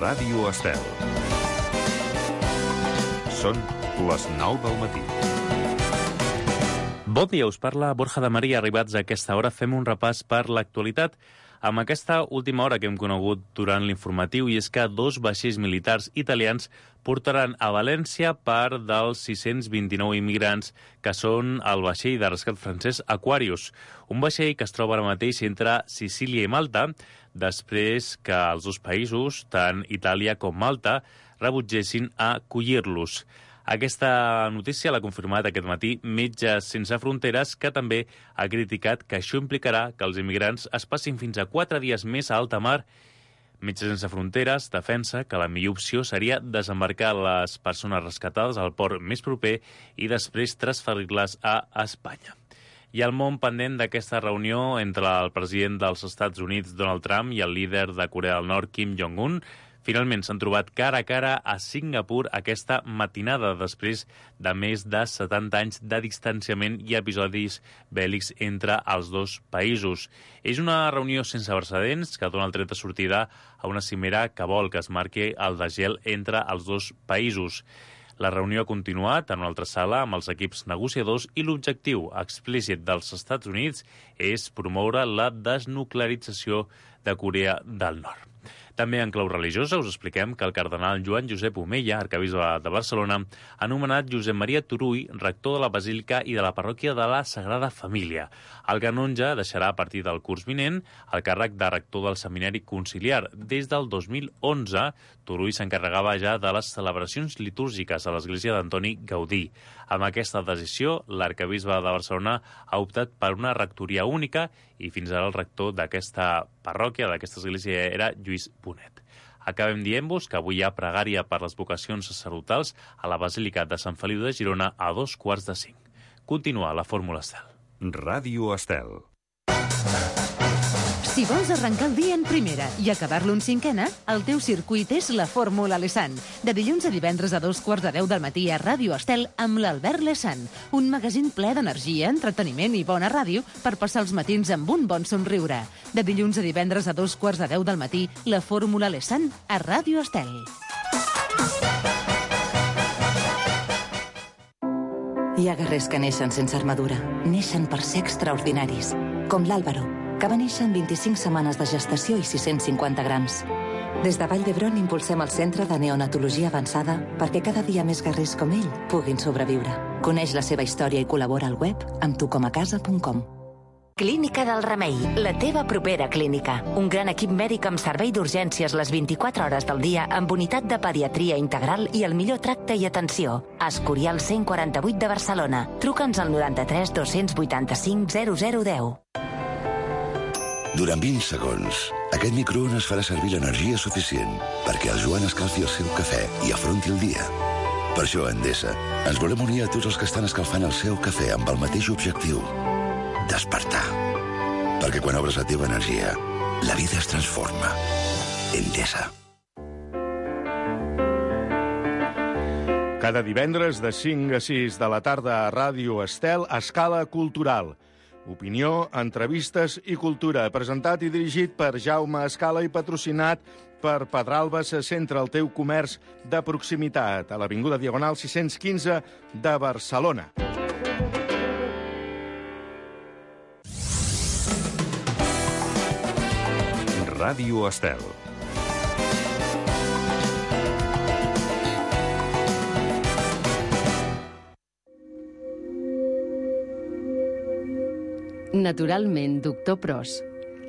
Ràdio Estel. Són les 9 del matí. Bon dia, us parla Borja de Maria. Arribats a aquesta hora, fem un repàs per l'actualitat amb aquesta última hora que hem conegut durant l'informatiu, i és que 2 vaixells militars italians portaran a València part dels 629 immigrants que són el vaixell de rescat francès Aquarius, un vaixell que es troba ara mateix entre Sicília i Malta, després que els dos països, tant Itàlia com Malta, rebutgessin a acollir-los. Aquesta notícia l'ha confirmat aquest matí Metges Sense Fronteres, que també ha criticat que això implicarà que els immigrants es passin fins a 4 dies més a alta mar. Metges Sense Fronteres defensa que la millor opció seria desembarcar les persones rescatades al port més proper i després transferir-les a Espanya. Hi ha el món pendent d'aquesta reunió entre el president dels Estats Units, Donald Trump, i el líder de Corea del Nord, Kim Jong-un. Finalment s'han trobat cara a cara a Singapur aquesta matinada, després de més de 70 anys de distanciament i episodis bèl·lics entre els dos països. És una reunió sense precedents que dona el tret de sortida a una cimera que vol que es marqui el desgel entre els dos països. La reunió ha continuat en una altra sala amb els equips negociadors i l'objectiu explícit dels Estats Units és promoure la desnuclearització de Corea del Nord. També en clau religiosa us expliquem que el cardenal Joan Josep Omeya, arquebisbe de Barcelona, ha nomenat Josep Maria Turull rector de la Basílica i de la parròquia de la Sagrada Família. El canonge deixarà a partir del curs vinent el càrrec de rector del Seminari Conciliar. Des del 2011, Turull s'encarregava ja de les celebracions litúrgiques a l'església d'Antoni Gaudí. Amb aquesta decisió, l'arquebisbe de Barcelona ha optat per una rectoria única i fins ara el rector d'aquesta parròquia, d'aquesta església, era Lluís Bonet. Acabem dient-vos que avui hi ha pregària per les vocacions sacerdotals a la Basílica de Sant Feliu de Girona a 4:45. Continua la Fórmula Estel. Ràdio Estel. Si vols arrencar el dia en primera i acabar-lo en cinquena, el teu circuit és la Fórmula Lesan. De dilluns a divendres a 9:45 del matí a Ràdio Estel amb l'Albert Lesan. Un magazín ple d'energia, entreteniment i bona ràdio per passar els matins amb un bon somriure. De dilluns a divendres a 9:45 del matí, la Fórmula Lesan a Ràdio Estel. Hi ha guerrers que neixen sense armadura. Neixen per ser extraordinaris. Com l'Àlvaro, que va néixer en 25 setmanes de gestació i 650 grams. Des de Vall d'Hebron impulsem el Centre de Neonatologia Avançada perquè cada dia més guerrers com ell puguin sobreviure. Coneix la seva història i col·labora al web amb tucomacasa.com. Clínica del Remei, la teva propera clínica. Un gran equip mèdic amb servei d'urgències les 24 hores del dia amb unitat de pediatria integral i el millor tracte i atenció. Escorial 148 de Barcelona. Truca'ns al 93 285 0010. Durant 20 segons, aquest microones farà servir l'energia suficient perquè el Joan escalfi el seu cafè i afronti el dia. Per això, a Endesa, ens volem unir a tots els que estan escalfant el seu cafè amb el mateix objectiu: despertar. Perquè quan obres la teva energia, la vida es transforma. Endesa. Cada divendres de 5 a 6 de la tarda a Ràdio Estel, Escala Cultural. Opinió, entrevistes i cultura. Presentat i dirigit per Jaume Escala i patrocinat per Pedralba se centra el teu comerç de proximitat a l'Avinguda Diagonal 615 de Barcelona. Ràdio Estel. Naturalment, Doctor Pros.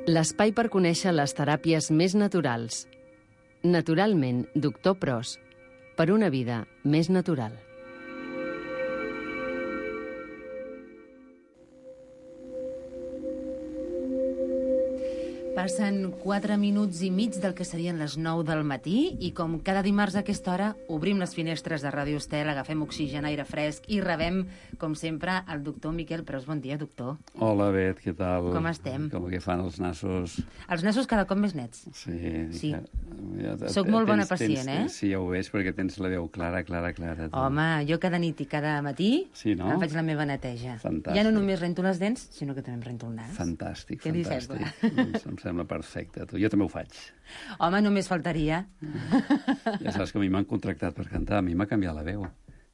L'espai per conèixer les teràpies més naturals. Naturalment, Doctor Pros. Per una vida més natural. Passen 4 minuts i mig del que serien les 9 del matí i com cada dimarts a aquesta hora obrim les finestres de Ràdio Estel, agafem oxigen, aire fresc i rebem, com sempre, el doctor Miquel Pros. Bon dia, doctor. Hola, Bet, què tal? Com estem? Com que fan els nassos? Els nassos cada cop més nets. Sí. Soc molt bona pacient, eh? Sí, ja ho veig, perquè tens la veu clara. Home, jo cada nit i cada matí no? em faig la meva neteja. Fantàstic. Ja no només rento les dents, sinó que també em rento el nas. Fantàstic, Què li sembla? Em sembla perfecte. Jo també ho faig. Home, només faltaria. Ja saps que a mi m'han contractat per cantar, a mi m'ha canviat la veu.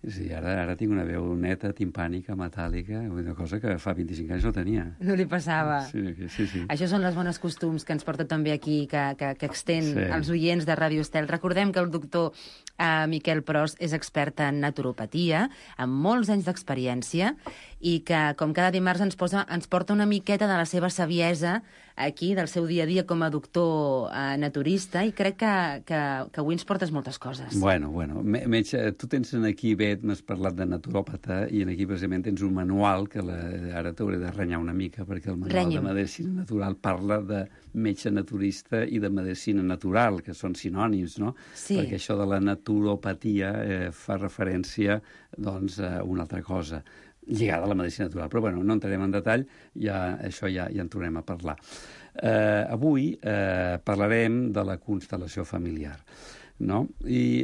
Sí, ara tinc una veu neta, timpànica, metàl·lica, una cosa que fa 25 anys no tenia. No li passava. Sí. Això són les bones costums que ens porta també aquí, que extén als oients de Ràdio Estel. Recordem que el doctor Miquel Pros és expert en naturopatia, amb molts anys d'experiència, i que, com cada dimarts, ens porta una miqueta de la seva saviesa aquí, del seu dia a dia com a doctor naturista, i crec que avui ens portes moltes coses. Bueno, metge, tu tens aquí, m'has parlat de naturòpata, i aquí precisament tens un manual que ara t'hauré de renyar una mica, perquè el manual de medicina natural parla de metge naturista i de medicina natural, que són sinònims, no? Sí. Perquè això de la naturopatia fa referència, doncs, a una altra cosa lligada a la medicina natural. Però, bueno, no entrarem en detall, això ja en tornem a parlar. Avui parlarem de la constel·lació familiar, no? I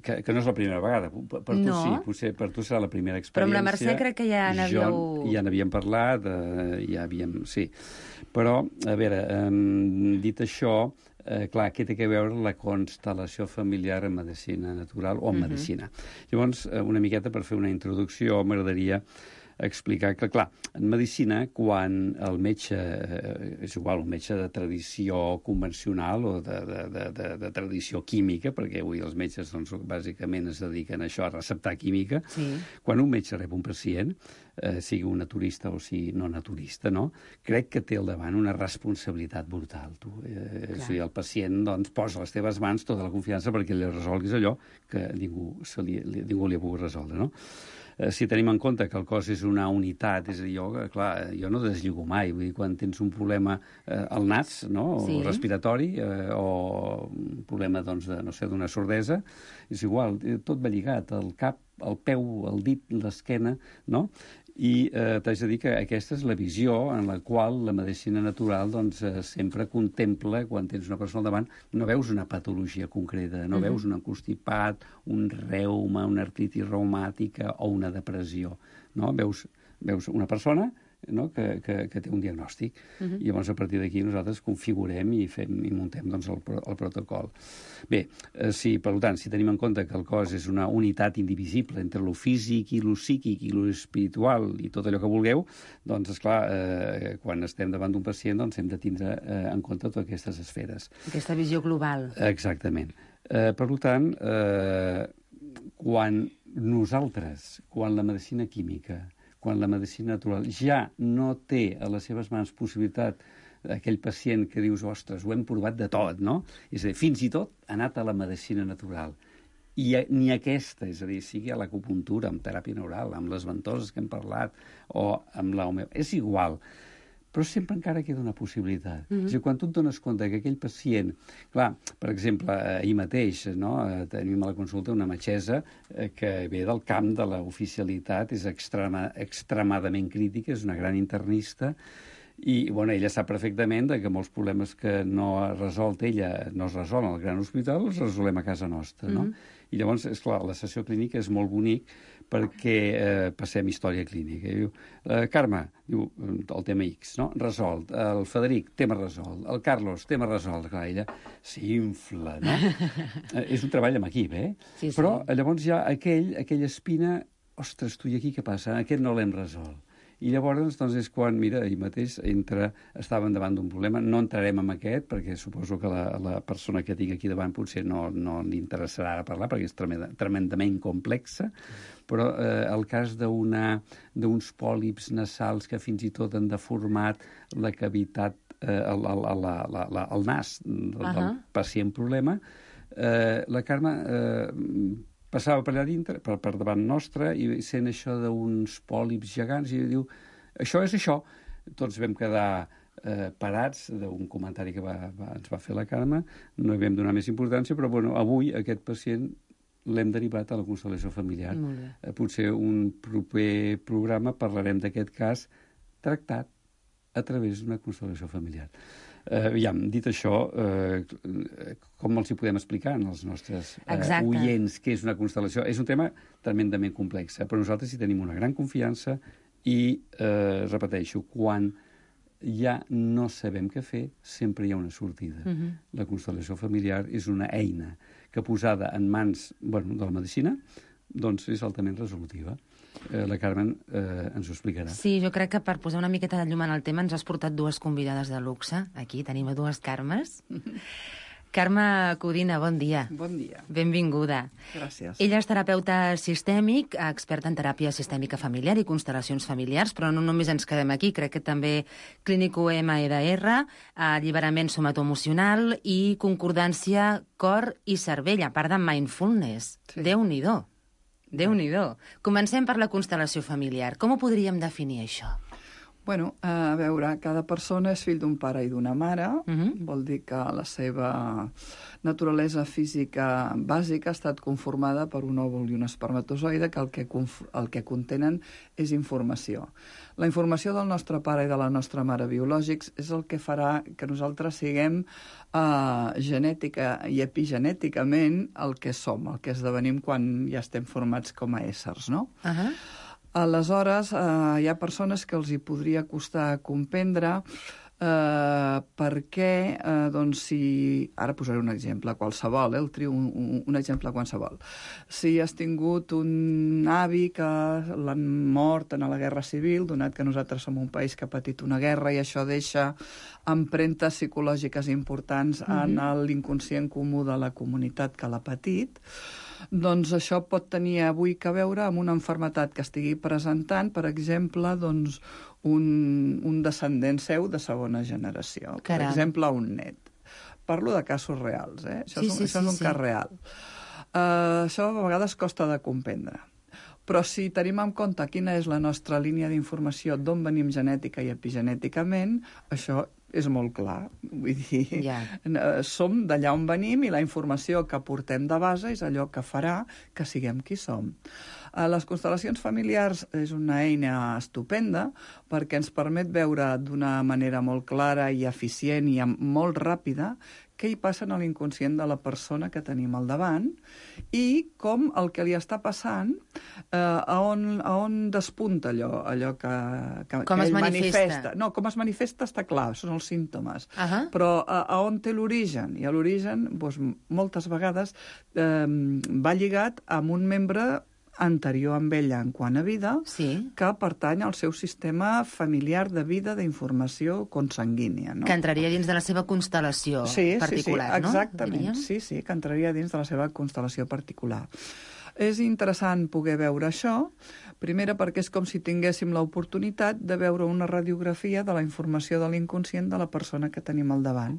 que no és la primera vegada. Per tu sí, potser per tu serà la primera experiència. Però amb la Mercè crec que ja n'havíeu... Ja n'havíem parlat, sí. Però, a veure, dit això, clar, què té a veure la constel·lació familiar en medicina natural o en medicina? Llavors, una miqueta per fer una introducció, m'agradaria explicar que, clar, en medicina, quan el metge, és igual, un metge de tradició convencional o de tradició química, perquè avui els metges, doncs, bàsicament es dediquen a això, a receptar química, quan un metge rep un pacient, sigui un naturista o sigui no naturista, no? Crec que té al davant una responsabilitat brutal, tu. És a dir, el pacient, doncs, posa a les teves mans tota la confiança perquè li resolguis allò que ningú li ha pogut resoldre, no? Si tenim en compte que el cos és una unitat, és a dir, jo no deslligo mai, vull dir, quan tens un problema al nas, no?, o respiratori, o un problema, doncs, d'una sordesa, és igual, tot va lligat, el cap, el peu, el dit, l'esquena, no? I t'haig de dir que aquesta és la visió en la qual la medicina natural, doncs, sempre contempla, quan tens una persona al davant, no veus una patologia concreta, no veus un constipat, un reuma, una artritis reumàtica o una depressió, no? Veus una persona, no?, que té un diagnòstic. I llavors, a partir d'aquí, nosaltres configurem i muntem, doncs, el protocol. Bé, per tant, si tenim en compte que el cos és una unitat indivisible entre lo físic i lo psíquic i lo espiritual i tot allò que vulgueu, doncs, esclar, quan estem davant d'un pacient, doncs, hem de tindre en compte totes aquestes esferes. Aquesta visió global. Exactament. Per tant, quan la medicina química, quan la medicina natural ja no té a les seves mans possibilitat aquell pacient que dius, ostres, ho hem provat de tot, no? És a dir, fins i tot ha anat a la medicina natural. I ni aquesta, és a dir, sigui a l'acupuntura, amb teràpia neural, amb les ventoses que hem parlat, o amb l'homeopatia, és igual. Però sempre encara queda una possibilitat. És a dir, quan tu et dones compte que aquell pacient... Clar, per exemple, ahir mateix, no?, tenim a la consulta una metgessa que ve del camp de l'oficialitat, és extremadament crítica, és una gran internista, i ella sap perfectament que molts problemes que no ha resolt ella no es resolen al gran hospital, els resolem a casa nostra, no? I llavors, esclar, la sessió clínica és molt bonic perquè passem història clínica. Diu, Carme, diu, el tema X, no?, resolt. El Frederic, tema resolt. El Carlos, tema resolt. Clar, ella s'infla, no? És un treball amb equip, Sí. Però llavors hi ha aquella espina, ostres, tu i aquí què passa? Aquest no l'hem resolt. I llavors, doncs, és quan, mira, ahir mateix estàvem davant d'un problema. No entrarem en aquest, perquè suposo que la persona que tinc aquí davant potser no li interessarà ara parlar, perquè és tremendament complexa, però el cas d'uns pòlips nasals que fins i tot han deformat la cavitat, el nas del pacient problema, la Carme passava per allà dintre, per davant nostre, i sent això d'uns pòlips gegants, i diu, això és això. Tots vam quedar parats d'un comentari que ens va fer la Carme, no hi vam donar més importància, però bueno, avui aquest pacient l'hem derivat a la constel·lació familiar. Potser un proper programa parlarem d'aquest cas tractat a través d'una constel·lació familiar. Dit això, com els hi podem explicar als nostres oients què és una constel·lació? És un tema tremendament complex, però nosaltres hi tenim una gran confiança i, repeteixo, quan ja no sabem què fer, sempre hi ha una sortida. La constel·lació familiar és una eina que posada en mans de la medicina doncs és altament resolutiva. La Carmen ens ho explicarà. Sí, jo crec que per posar una miqueta de llum en el tema ens has portat dues convidades de luxe. Aquí tenim a dues Carmes. Carme Codina, bon dia. Bon dia. Benvinguda. Gràcies. Ella és terapeuta sistèmic, experta en teràpia sistèmica familiar i constel·lacions familiars, però no només ens quedem aquí, crec que també clínico MEDR, alliberament somatoemocional i concordància cor i cervell, a part de mindfulness. Sí. Déu-n'hi-do. Déu-n'hi-do. Comencem per la constel·lació familiar. Com ho podríem definir, això? Bueno, a veure, cada persona és fill d'un pare i d'una mare, vol dir que la seva naturalesa física bàsica ha estat conformada per un òvul i un espermatozoide que el que contenen és informació. La informació del nostre pare i de la nostra mare biològics és el que farà que nosaltres siguem genètica i epigenèticament el que som, el que esdevenim quan ja estem formats com a éssers, no? Aleshores, hi ha persones que els hi podria costar comprendre perquè, doncs, si... Ara posaré un exemple qualsevol, el trio un exemple qualsevol. Si has tingut un avi que l'han mort en la Guerra Civil, donat que nosaltres som un país que ha patit una guerra i això deixa empremtes psicològiques importants en l'inconscient comú de la comunitat que l'ha patit, doncs això pot tenir avui que veure amb una malaltia que estigui presentant, per exemple, doncs, un descendent seu de segona generació. Per exemple, un net. Parlo de casos reals, eh? Això és un cas real. Això a vegades costa de comprendre. Però si tenim en compte quina és la nostra línia d'informació, d'on venim genètica i epigenèticament, això és molt clar. Vull dir, som d'allà on venim i la informació que portem de base és allò que farà que siguem qui som. Les constel·lacions familiars és una eina estupenda perquè ens permet veure d'una manera molt clara i eficient i molt ràpida què hi passa a l'inconscient de la persona que tenim al davant i com el que li està passant, a on despunta allò que ell manifesta. No, com es manifesta està clar, són els símptomes. Però a on té l'origen? I l'origen, doncs, moltes vegades va lligat amb un membre anterior amb ella en quant a vida, que pertany al seu sistema familiar de vida d'informació consanguínia. No? Que entraria dins de la seva constel·lació particular, no? Exactament, sí, que entraria dins de la seva constel·lació particular. És interessant poder veure això, primera perquè és com si tinguéssim l'oportunitat de veure una radiografia de la informació de l'inconscient de la persona que tenim al davant.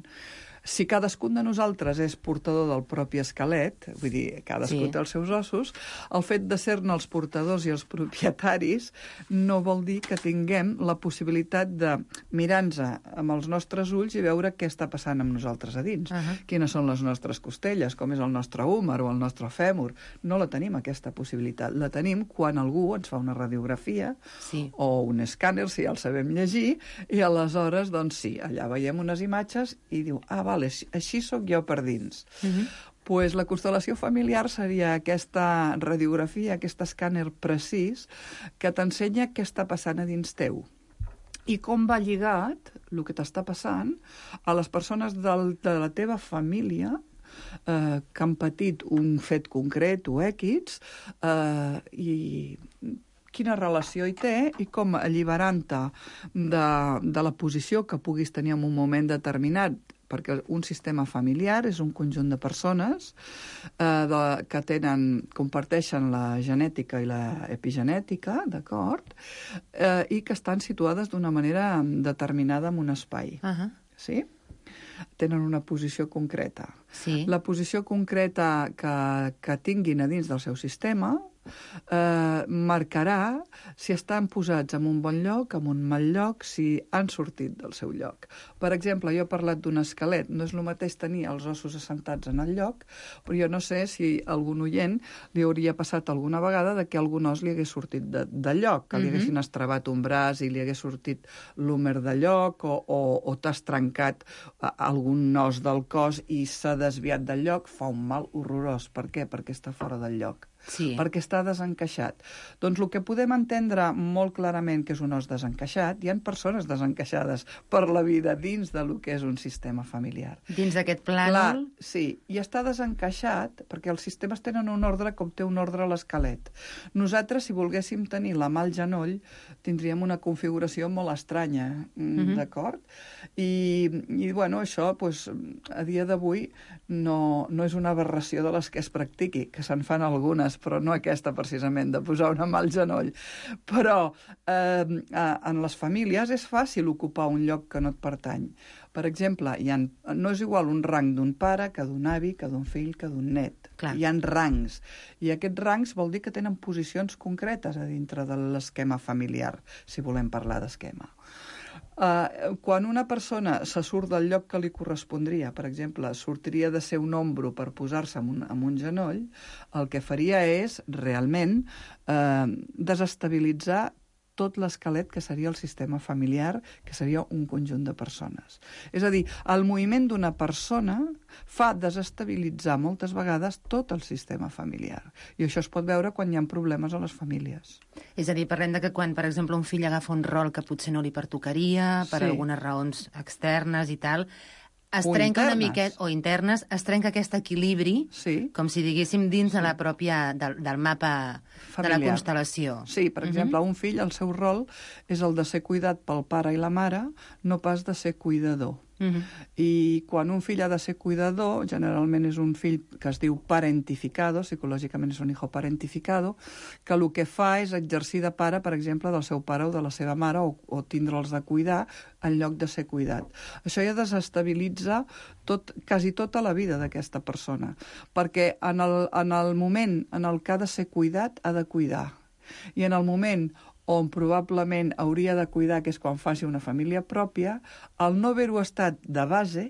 Si cadascun de nosaltres és portador del propi esquelet, vull dir, cadascú té els seus ossos, el fet de ser-ne els portadors i els propietaris no vol dir que tinguem la possibilitat de mirar-nos amb els nostres ulls i veure què està passant amb nosaltres a dins. Quines són les nostres costelles, com és el nostre húmer o el nostre fèmur. No la tenim, aquesta possibilitat. La tenim quan algú ens fa una radiografia o un escàner, si ja el sabem llegir, i aleshores, doncs sí, allà veiem unes imatges i diu, vale, així sóc jo per dins. Pues la constel·lació familiar seria aquesta radiografia, aquest escàner precís que t'ensenya què està passant a dins teu i com va lligat el que t'està passant a les persones de la teva família que han patit un fet concret o X i quina relació hi té i com alliberant-te de la posició que puguis tenir en un moment determinat, perquè un sistema familiar és un conjunt de persones que comparteixen la genètica i l'epigenètica, d'acord? I que estan situades d'una manera determinada en un espai. Sí? Tenen una posició concreta. La posició concreta que tinguin a dins del seu sistema marcarà si estan posats en un bon lloc, en un mal lloc, si han sortit del seu lloc. Per exemple, jo he parlat d'un esquelet. No és el mateix tenir els ossos assentats en el lloc, però jo no sé si a algun oient li hauria passat alguna vegada que algun os li hagués sortit de lloc, que li haguessin estrebat un braç i li hagués sortit l'húmer de lloc o t'has trencat algun os del cos i s'ha desviat del lloc, fa un mal horrorós. Per què? Perquè està fora del lloc. Sí. perquè està desencaixat. Doncs el que podem entendre molt clarament que és un os desencaixat, hi ha persones desencaixades per la vida dins de lo que és un sistema familiar. Dins d'aquest plànol... Clar, sí, i està desencaixat perquè els sistemes tenen un ordre com té un ordre l'esquelet. Nosaltres, si volguéssim tenir la mà al genoll, tindríem una configuració molt estranya, d'acord? I bueno, això, doncs, a dia d'avui no és una aberració de les que es practiqui, que se'n fan algunes, però no aquesta precisament, de posar una mà al genoll. Però en les famílies és fàcil ocupar un lloc que no et pertany. Per exemple, no és igual un rang d'un pare que d'un avi, que d'un fill, que d'un net. Clar. Hi ha rangs. I aquests rangs vol dir que tenen posicions concretes a dintre de l'esquema familiar, si volem parlar d'esquema. Quan una persona se surt del lloc que li correspondria, per exemple, sortiria de ser un ombro per posar-se en un genoll, el que faria és realment desestabilitzar tot l'esquelet que seria el sistema familiar, que seria un conjunt de persones. És a dir, el moviment d'una persona fa desestabilitzar moltes vegades tot el sistema familiar. I això es pot veure quan hi ha problemes a les famílies. És a dir, parlem de que quan, per exemple, un fill agafa un rol que potser no li pertocaria, per algunes raons externes i tal, es trenca una miqueta, o internes, es trenca aquest equilibri, com si diguéssim, dins de la pròpia, del mapa familiar, de la constel·lació. Sí, per exemple, un fill, el seu rol és el de ser cuidat pel pare i la mare, no pas de ser cuidador. I quan un fill ha de ser cuidador, generalment és un fill que es diu parentificado, psicològicament és un hijo parentificado, que el que fa és exercir de pare, per exemple, del seu pare o de la seva mare, o tindre'ls de cuidar en lloc de ser cuidat. Això ja desestabilitza quasi tota la vida d'aquesta persona, perquè en el moment en el que ha de ser cuidat, ha de cuidar. I en el moment on probablement hauria de cuidar, que és quan faci una família pròpia, el no haver-ho estat de base,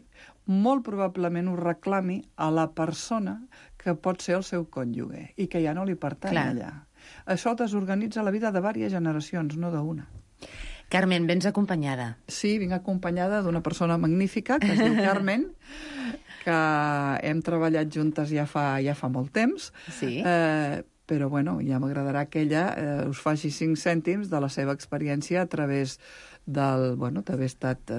molt probablement ho reclami a la persona que pot ser el seu cònjuge i que ja no li pertany allà. Això desorganitza la vida de diverses generacions, no d'una. Carmen, vens acompanyada. Sí, vinc acompanyada d'una persona magnífica que es diu Carmen, que hem treballat juntes ja fa molt temps. Sí. Però bueno, ja m'agradarà que ella us faci 5 cèntims de la seva experiència a través d'haver estat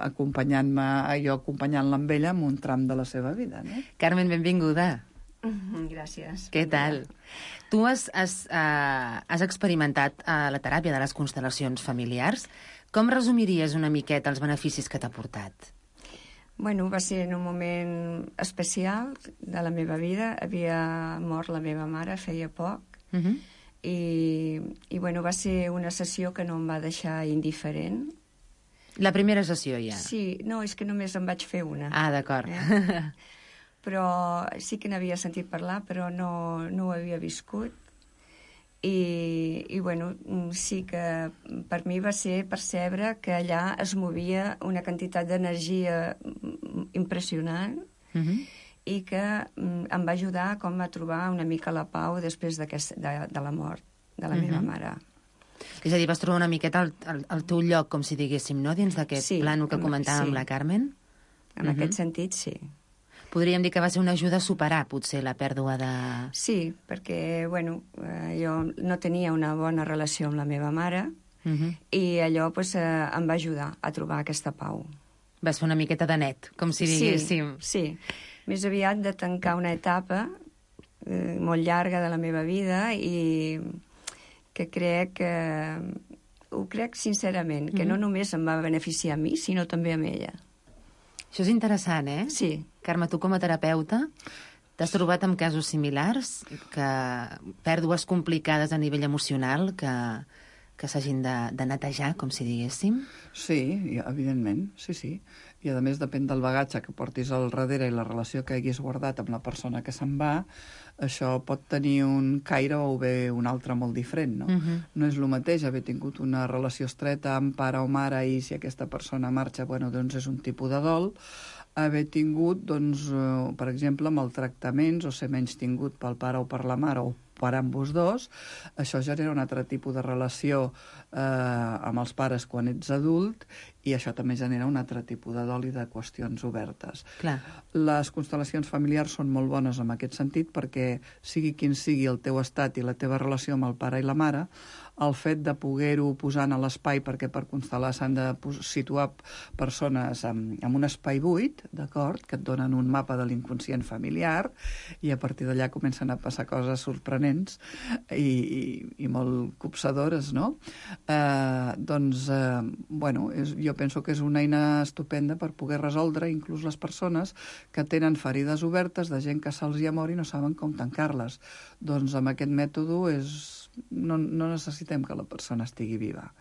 acompanyant-la amb ella en un tram de la seva vida. No? Carmen, benvinguda. Gràcies. Què tal? Tu has experimentat la teràpia de les constel·lacions familiars. Com resumiries una miqueta els beneficis que t'ha portat? Bueno, va ser en un moment especial de la meva vida. Havia mort la meva mare feia poc. I bueno, va ser una sessió que no em va deixar indiferent. La primera sessió, ja? Sí, no, és que només en vaig fer una. Ah, d'acord. Però sí que n'havia sentit parlar, però no ho havia viscut. I bueno, sí que per mi va ser percebre que allà es movia una quantitat d'energia impressionant i que em va ajudar com a trobar una mica la pau després de la mort de la meva mare. És a dir, vas trobar una miqueta el teu lloc, com si diguéssim, no?, dins d'aquest plànol que comentàvem amb la Carmen? En aquest sentit, sí. Podríem dir que va ser una ajuda a superar, potser, la pèrdua de... Sí, perquè, bueno, jo no tenia una bona relació amb la meva mare i allò em va ajudar a trobar aquesta pau. Vas fer una miqueta de net, com si diguéssim. Sí. Més aviat de tancar una etapa molt llarga de la meva vida i que ho crec sincerament, que no només em va beneficiar a mi, sinó també a ella. Això és interessant, eh? Sí. Carme, tu com a terapeuta t'has trobat amb casos similars, pèrdues complicades a nivell emocional que s'hagin de netejar, com si diguéssim? Sí, evidentment, sí. I a més depèn del bagatge que portis al darrere i la relació que haguis guardat amb la persona que se'n va, això pot tenir un caire o bé un altre molt diferent, no? No és el mateix haver tingut una relació estreta amb pare o mare i si aquesta persona marxa, bueno, doncs és un tipus de dol, haver tingut, doncs, per exemple, maltractaments o ser menys tingut pel pare o per la mare o per ambos dos, això genera un altre tipus de relació amb els pares quan ets adult, i això també genera un altre tipus de dol i de qüestions obertes. Clar. Les constel·lacions familiars són molt bones en aquest sentit perquè, sigui quin sigui el teu estat i la teva relació amb el pare i la mare, el fet de poder-ho posar en l'espai, perquè per constel·lar s'han de situar persones en un espai buit, d'acord, que et donen un mapa de l'inconscient familiar, i a partir d'allà comencen a passar coses sorprenents i molt copsadores, no? Bueno, jo penso que és una eina estupenda per poder resoldre inclús les persones que tenen ferides obertes de gent que se'ls hi ha mort i no saben com tancar-les. Doncs amb aquest mètode no necessitem que la persona estigui viva.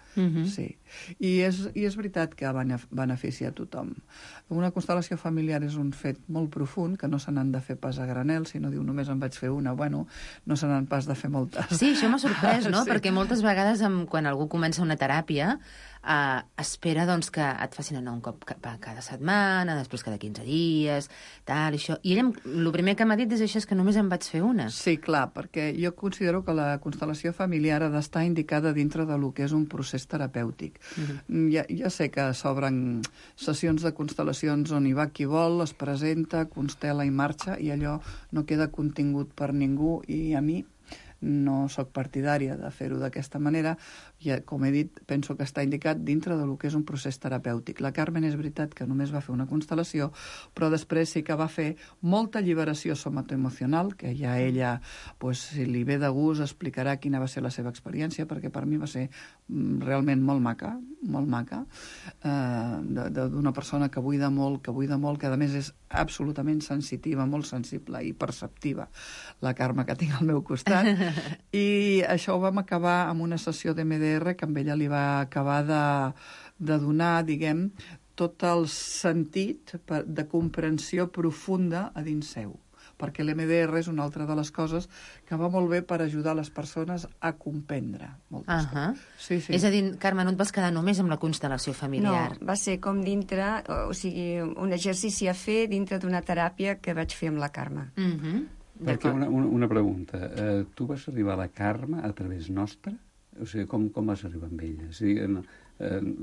Sí. I és veritat que beneficia a tothom. Una constel·lació familiar és un fet molt profund, que no se n'han de fer pas a granel, si no diu només en vaig fer una, bueno, no se n'han pas de fer moltes. Sí, això m'ha sorprès, no? Sí. Perquè moltes vegades quan algú comença una teràpia espera doncs, que et facin anar un cop cada setmana, després cada 15 dies, tal, i això. I ell, el primer que m'ha dit és això, és que només en vaig fer una. Sí, clar, perquè jo considero que la constel·lació familiar ha d'estar indicada dintre del que és un procés terapèutic. Ja sé que s'obren sessions de constel·lacions on hi va qui vol, es presenta, constel·la i marxa, i allò no queda contingut per ningú, i a mi no sóc partidària de fer-ho d'aquesta manera. Com he dit, penso que està indicat dintre del que és un procés terapèutic. La Carmen és veritat que només va fer una constel·lació, però després sí que va fer molta alliberació somatoemocional, que ja ella, si li ve de gust, explicarà quina va ser la seva experiència, perquè per mi va ser realment molt maca, d'una persona que buida molt, que a més és absolutament sensitiva, molt sensible i perceptiva, la Carme que tinc al meu costat. I això ho vam acabar amb una sessió d'MDR que amb ella li va acabar de donar, diguem, tot el sentit de comprensió profunda a dins seu. Perquè l'MDR és una altra de les coses que va molt bé per ajudar les persones a comprendre moltes coses. Sí. És a dir, Carme, no et vas quedar només amb la constel·lació familiar. No, va ser com dintre, o sigui, un exercici a fer dintre d'una teràpia que vaig fer amb la Carme. Perquè una pregunta. Tu vas arribar a la Carme a través nostra? O sigui, com vas arribar amb ella? O sigui,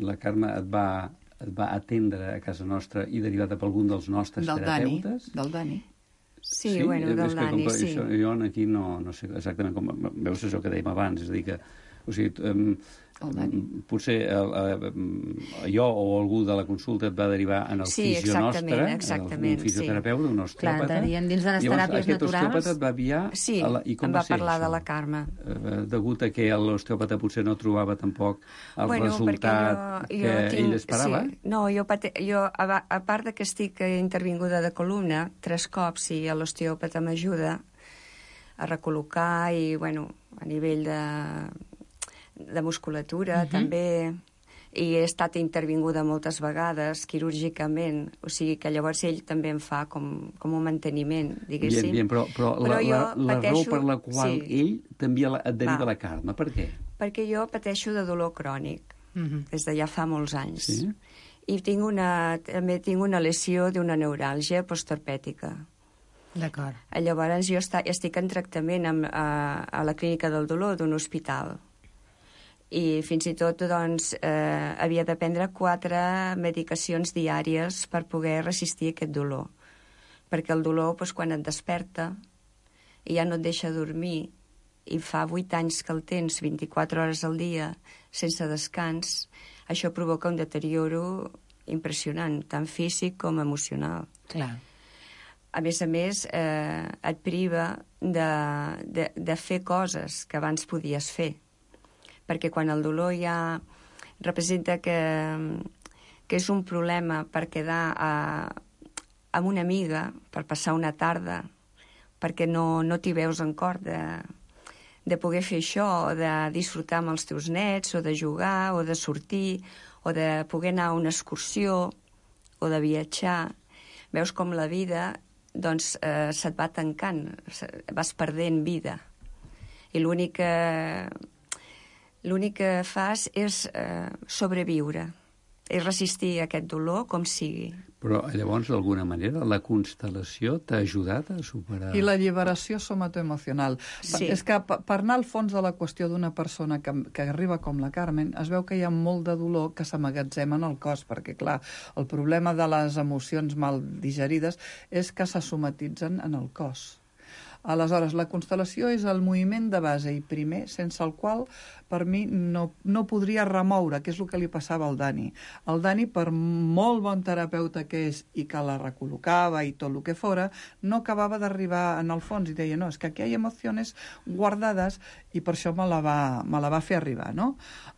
la Carme et va atendre a casa nostra i derivada per algun dels nostres terapeutes? Del Dani. Sí, bueno, del Dani, sí. Jo aquí no sé exactament com... Veus això que dèiem abans, és a dir que... O sigui, potser jo o algú de la consulta et va derivar en el fisio nostre, un fisioterapeuta, un osteòpata. Clar, dins de les teràpies naturals. Aquest osteòpata et va enviar... Sí, em va parlar de la Carme. Degut a que l'osteòpata potser no trobava tampoc el resultat que ell esperava? Sí. No, jo, a part de que estic intervinguda de columna 3 cops, i l'osteòpata m'ajuda a recol·locar i, bueno, a nivell de musculatura, també, i he estat intervinguda moltes vegades quirúrgicament, o sigui que llavors ell també em fa com un manteniment, diguéssim. Bien, però la raó per la qual ell també et deriva la Carme, per què? Perquè jo pateixo de dolor crònic, des de ja fa molts anys. Sí? I també tinc una lesió d'una neuràlgia postorpètica. D'acord. Llavors jo estic en tractament a la clínica del dolor d'un hospital. I fins i tot, doncs, havia de prendre 4 medicacions diàries per poder resistir aquest dolor. Perquè el dolor, doncs, quan et desperta i ja no et deixa dormir, i fa 8 anys que el tens 24 hores al dia sense descans, això provoca un deterioro impressionant, tant físic com emocional. Clar. A més, et priva de fer coses que abans podies fer. Perquè quan el dolor ja representa que és un problema per quedar amb una amiga, per passar una tarda, perquè no t'hi veus en cor de poder fer això, o de disfrutar amb els teus nets, o de jugar, o de sortir, o de poder anar a una excursió, o de viatjar. Veus com la vida doncs, se't va tancant, vas perdent vida. I l'únic que fas és sobreviure. és resistir aquest dolor com sigui. Però llavors, d'alguna manera, la constel·lació t'ha ajudat a superar... I la lliberació somatoemocional. Sí. És que per anar al fons de la qüestió d'una persona que arriba com la Carmen, es veu que hi ha molt de dolor que s'amagatzema en el cos, perquè, clar, el problema de les emocions mal digerides és que se somatitzen en el cos. Aleshores, la constel·lació és el moviment de base i primer, sense el qual, per mi, no podria remoure, que és el que li passava al Dani. El Dani, per molt bon terapeuta que és i que la recol·locava i tot el que fora, no acabava d'arribar en el fons i deia, no, és que aquí hi ha emocions guardades i per això me la va fer arribar, no?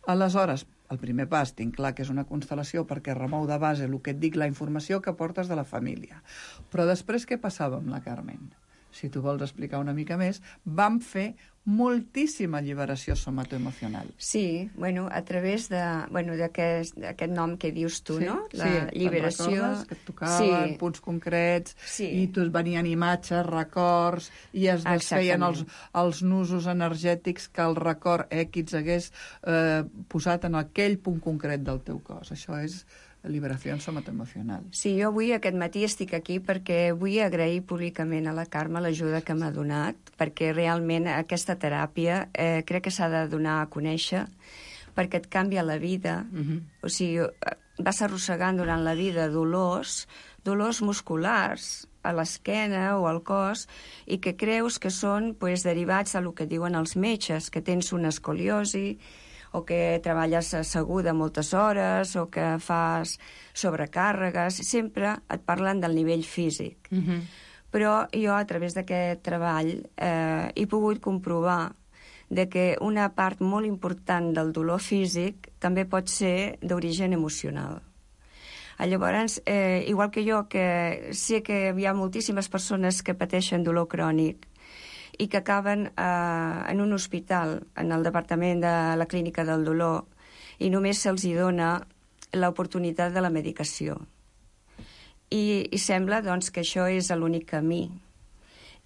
Aleshores, el primer pas, tinc clar que és una constel·lació perquè remou de base el que et dic, la informació que portes de la família. Però després què passava amb la Carmen? Si tu vols explicar una mica més, vam fer moltíssima lliberació somatoemocional. Sí, bueno, a través d'aquest nom que dius tu, sí, no? La lliberació. Te'n recordes? Que et tocaven punts concrets, i tu venien imatges, records, i es desfeien els nusos energètics que el record X hagués posat en aquell punt concret del teu cos. Això és liberació somatoemocional. Sí, jo avui, aquest matí, estic aquí perquè vull agrair públicament a la Carme l'ajuda que m'ha donat, perquè realment aquesta teràpia crec que s'ha de donar a conèixer, perquè et canvia la vida. O sigui, vas arrossegant durant la vida dolors musculars a l'esquena o al cos i que creus que són derivats del que diuen els metges, que tens una escoliosi, o que treballes asseguda moltes hores, o que fas sobrecàrregues, sempre et parlen del nivell físic. Però jo, a través d'aquest treball, he pogut comprovar que una part molt important del dolor físic també pot ser d'origen emocional. Llavors, igual que jo, que sé que hi ha moltíssimes persones que pateixen dolor crònic, i que acaben en un hospital, en el departament de la clínica del dolor, i només se'ls dona l'oportunitat de la medicació. I sembla, doncs, que això és l'únic camí.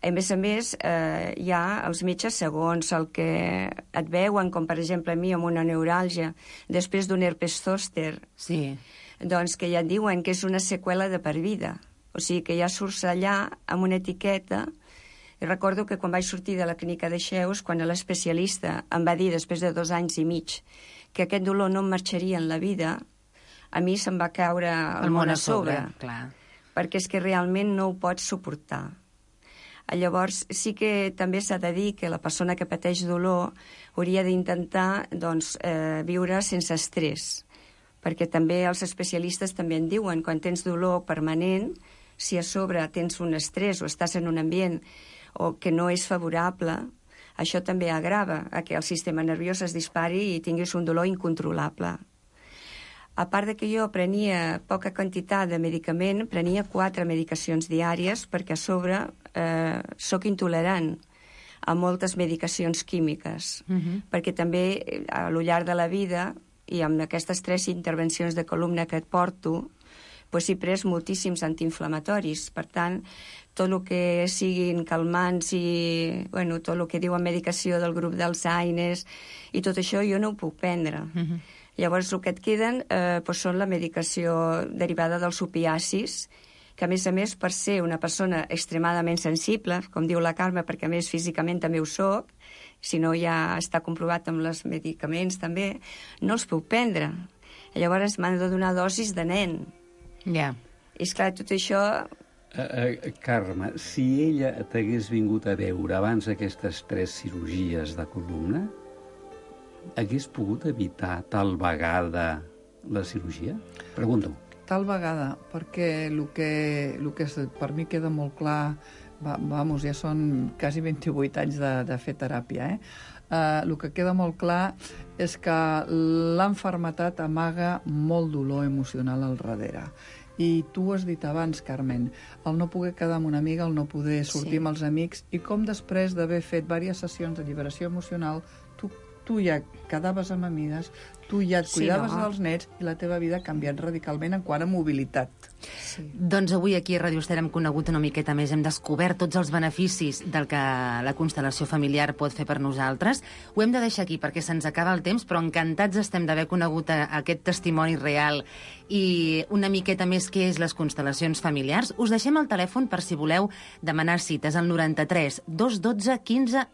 A més, hi ha els metges, segons el que et veuen, com per exemple a mi amb una neuràlgia, després d'un herpes zòster, doncs que ja et diuen que és una seqüela de per vida. O sigui, que ja surts allà amb una etiqueta. I recordo que quan vaig sortir de la clínica de Xeus, quan l'especialista em va dir, després de 2 anys i mig, que aquest dolor no em marxaria en la vida, a mi se'm va caure el món a sobre. Perquè és que realment no ho pots suportar. Llavors, sí que també s'ha de dir que la persona que pateix dolor hauria d'intentar viure sense estrès. Perquè també els especialistes també en diuen, quan tens dolor permanent, si a sobre tens un estrès o estàs en un ambient o que no és favorable, això també agrava a que el sistema nerviós es dispari i tinguis un dolor incontrolable. A part de que jo prenia poca quantitat de medicament, prenia 4 medicacions diàries perquè a sobre sóc intolerant a moltes medicacions químiques, perquè també a lo llarg de la vida i amb aquestes 3 intervencions de columna que et porto, he pres moltíssims antiinflamatoris. Per tant, tot el que siguin calmants i tot el que diuen medicació del grup d'Alzheimer i tot això jo no ho puc prendre. Llavors, el que et queden són la medicació derivada dels opiacis, que a més, per ser una persona extremadament sensible, com diu la Carme, perquè a més físicament també ho soc, si no ja està comprovat amb els medicaments també, no els puc prendre. Llavors m'han de donar dosis de nen. I esclar, tot això... Carme, si ella t'hagués vingut a veure abans d'aquestes 3 cirurgies de columna, hagués pogut evitar tal vegada la cirurgia? Pregunto. Tal vegada, perquè el que per mi queda molt clar, ja són quasi 28 anys de fer teràpia, el que queda molt clar és que l'enfermetat amaga molt dolor emocional al darrere. I tu ho has dit abans, Carmen, el no poder quedar amb una amiga, el no poder sortir amb els amics, i com després d'haver fet diverses sessions de lliberació emocional, tu ja quedaves amb amigues, tu ja et cuidaves dels nets i la teva vida ha canviat radicalment en quant a mobilitat. Sí. Doncs avui aquí a Ràdio Estel hem conegut una miqueta més, hem descobert tots els beneficis del que la constel·lació familiar pot fer per nosaltres. Ho hem de deixar aquí perquè se'ns acaba el temps, però encantats estem d'haver conegut aquest testimoni real i una miqueta més què és les constel·lacions familiars. Us deixem el telèfon per si voleu demanar cites al 93 212 15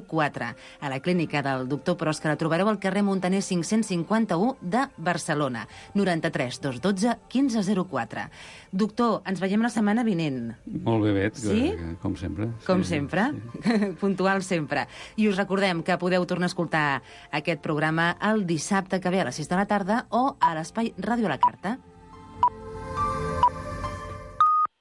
04 a la clínica del doctor Pros, que la trobareu al carrer Montaner 551 de Barcelona. 93 212 15 04. Doctor, ens veiem la setmana vinent. Molt bé, Bet, sí? Com sempre. Com sempre, sí. Puntual sempre. I us recordem que podeu tornar a escoltar aquest programa el dissabte que ve a les 6 de la tarda o a l'espai Ràdio a la Carta.